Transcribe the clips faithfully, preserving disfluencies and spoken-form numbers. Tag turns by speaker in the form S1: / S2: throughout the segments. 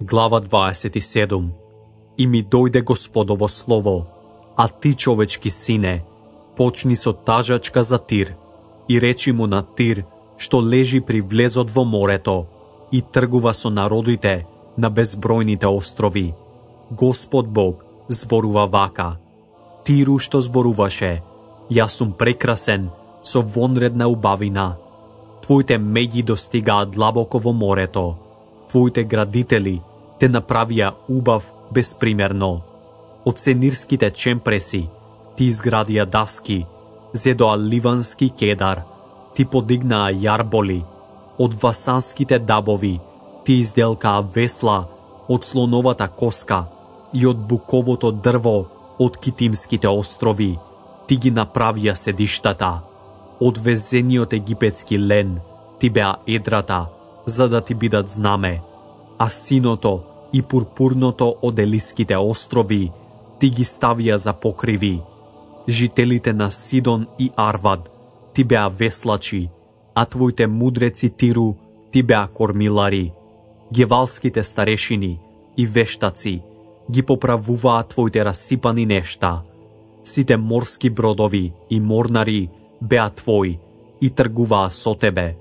S1: Глава дваесет и седум. И ми дојде Господово слово, а ти, човечки сине, почни со тажачка за Тир, и речи му на Тир, што лежи при влезот во морето, и тргува со народите на безбројните острови. Господ Бог зборува вака: Тиру што зборуваше, јас сум прекрасен со вонредна убавина. Твоите меѓи достигаат длабоко во морето, твоите градители те направија убав безпримерно. Од сенирските чемпреси ти изградија даски, зедоа ливански кедар, ти подигнаа јарболи, од васанските дабови ти изделкаа весла од слоновата коска и од буковото дрво од китимските острови ти ги направија седиштата. Од везениот египетски лен ти беа едрата, за да ти бидат знаме, а синото и пурпурното од Елиските острови ти ги ставија за покриви. Жителите на Сидон и Арвад ти беа веслачи, а твоите мудреци Тиру ти беа кормилари. Гевалските старешини и вештаци ги поправуваат твоите расипани нешта. Сите морски бродови и морнари беа твои и тргуваа со тебе.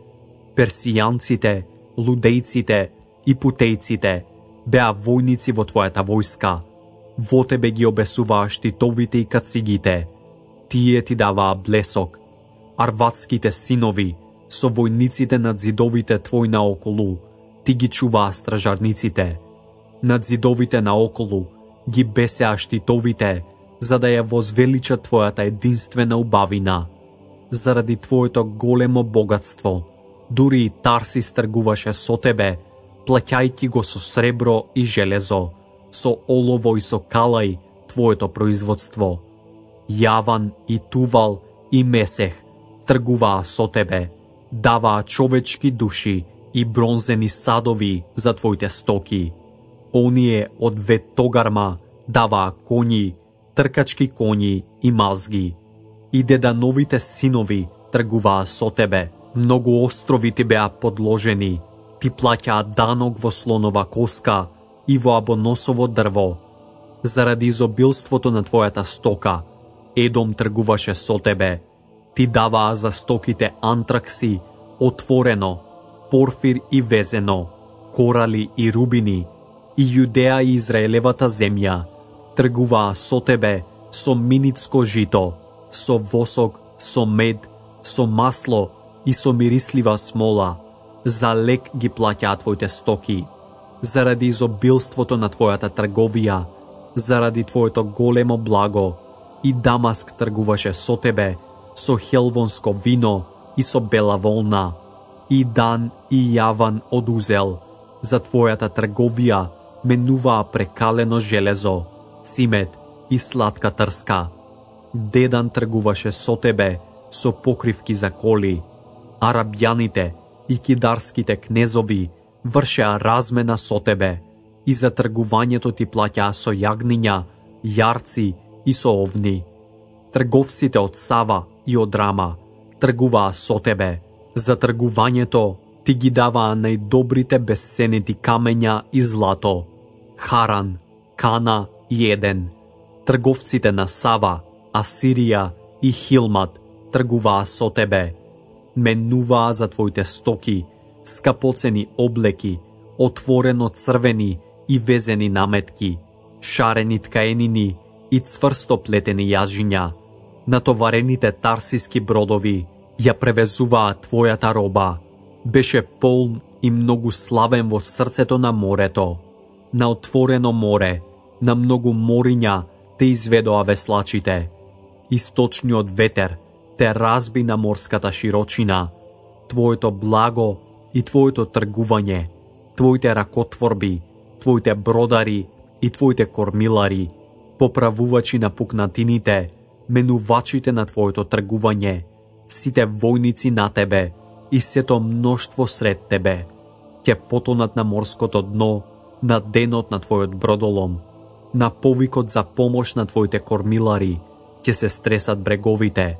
S1: Персијанците, лудејците и путејците беа војници во твојата војска. Во тебе ги обесуваа штитовите и кацигите. Тие ти даваа блесок. Арвадските синови со војниците над зидовите твои наоколу ти ги чуваа стражарниците. Над зидовите наоколу ги бесеа штитовите, за да ја возвеличат твојата единствена убавина. Заради твоето големо богатство, дури и Тарсис тргуваше со тебе, плаќајќи го со сребро и железо, со олово и со калај твоето производство. Јаван и Тувал и Месех тргуваа со тебе, даваа човечки души и бронзени садови за твоите стоки. Оние од Вет-Тогарма даваа коњи, тркачки коњи и мазги. И дедановите синови тргуваа со тебе, многу острови ти беа подложени, ти плаќаа данок во слонова коска и во абоносово дрво. Заради изобилството на твојата стока, Едом тргуваше со тебе. Ти даваа за стоките антракси, отворено, порфир и везено, корали и рубини, и Јудеа и Израелевата земја тргуваа со тебе со миницко жито, со восок, со мед, со масло и со мирислива смола. За лек ги плаќаа твоите стоки. Заради изобилството на твојата трговија, заради твоето големо благо, и Дамаск тргуваше со тебе, со хелвонско вино и со бела волна. И Дан и Јаван од Узел, за твојата трговија менуваа прекалено железо, цимет и сладка трска. Дедан тргуваше со тебе, со покривки за коли. Арабјаните и кидарските кнезови вршеа размена со тебе, и за тргувањето ти плаќаа со јагниња, јарци и со овни. Трговците од Сава и од Рама тргуваа со тебе. За тргувањето ти ги даваа најдобрите бесценети камења и злато. Харан, Кана и Еден. Трговците на Сава, Асирија и Хилмат тргуваа со тебе. Менуваа за твоите стоки, скапоцени облеки, отворено црвени и везени наметки, шарени ткаенини и цврсто плетени јажиња. Натоварените тарсиски бродови ја превезуваа твојата роба. Беше полн и многу славен во срцето на морето. На отворено море, на многу мориња те изведоа веслачите. Источниот ветер те разби на морската широчина. Твоето благо и твоето тргување, твоите ракотворби, твоите бродари и твоите кормилари, поправувачи на пукнатините, менувачите на твоето тргување, сите војници на тебе и сето мноштво сред тебе, ќе потонат на морското дно, на денот на твојот бродолом, на повикот за помош на твоите кормилари, ќе се стресат бреговите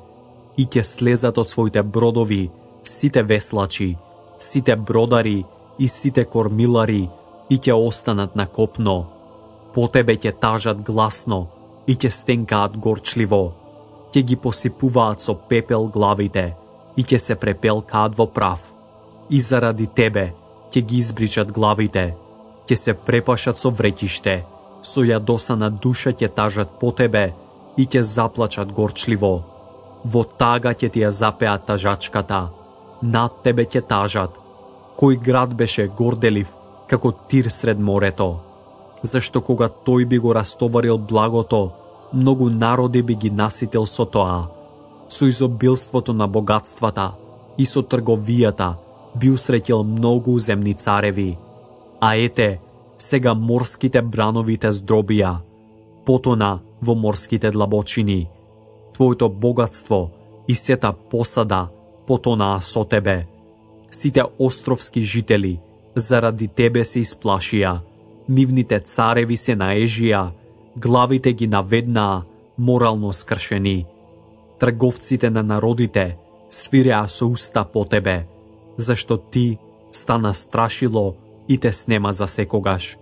S1: и ќе слезат од своите бродови сите веслачи, сите бродари и сите кормилари и ќе останат на копно. По тебе ќе тажат гласно и ќе стенкаат горчливо. Ќе ги посипуваат со пепел главите и ќе се препелкаат во прав. И заради тебе ќе ги избричат главите, ќе се препашат со вреќиште, со јадосана душа ќе тажат по тебе и ќе заплачат горчливо. Во тага ќе ти ја запеат тажачката, над тебе ќе тажат. Кој град беше горделив како Тир сред морето? Зашто кога тој би го растоварил благото, многу народи би ги наситил со тоа. Со изобилството на богатствата и со трговијата би усреќил многу земни цареви. А ете, сега морските бранови те здробија, потона во морските длабочини. Твоето богатство и сета посада потонаа со тебе. Сите островски жители заради тебе се исплашија, нивните цареви се наежија, главите ги наведнаа морално скршени. Трговците на народите свиреа со уста по тебе, зашто ти стана страшило и те снема за секогаш.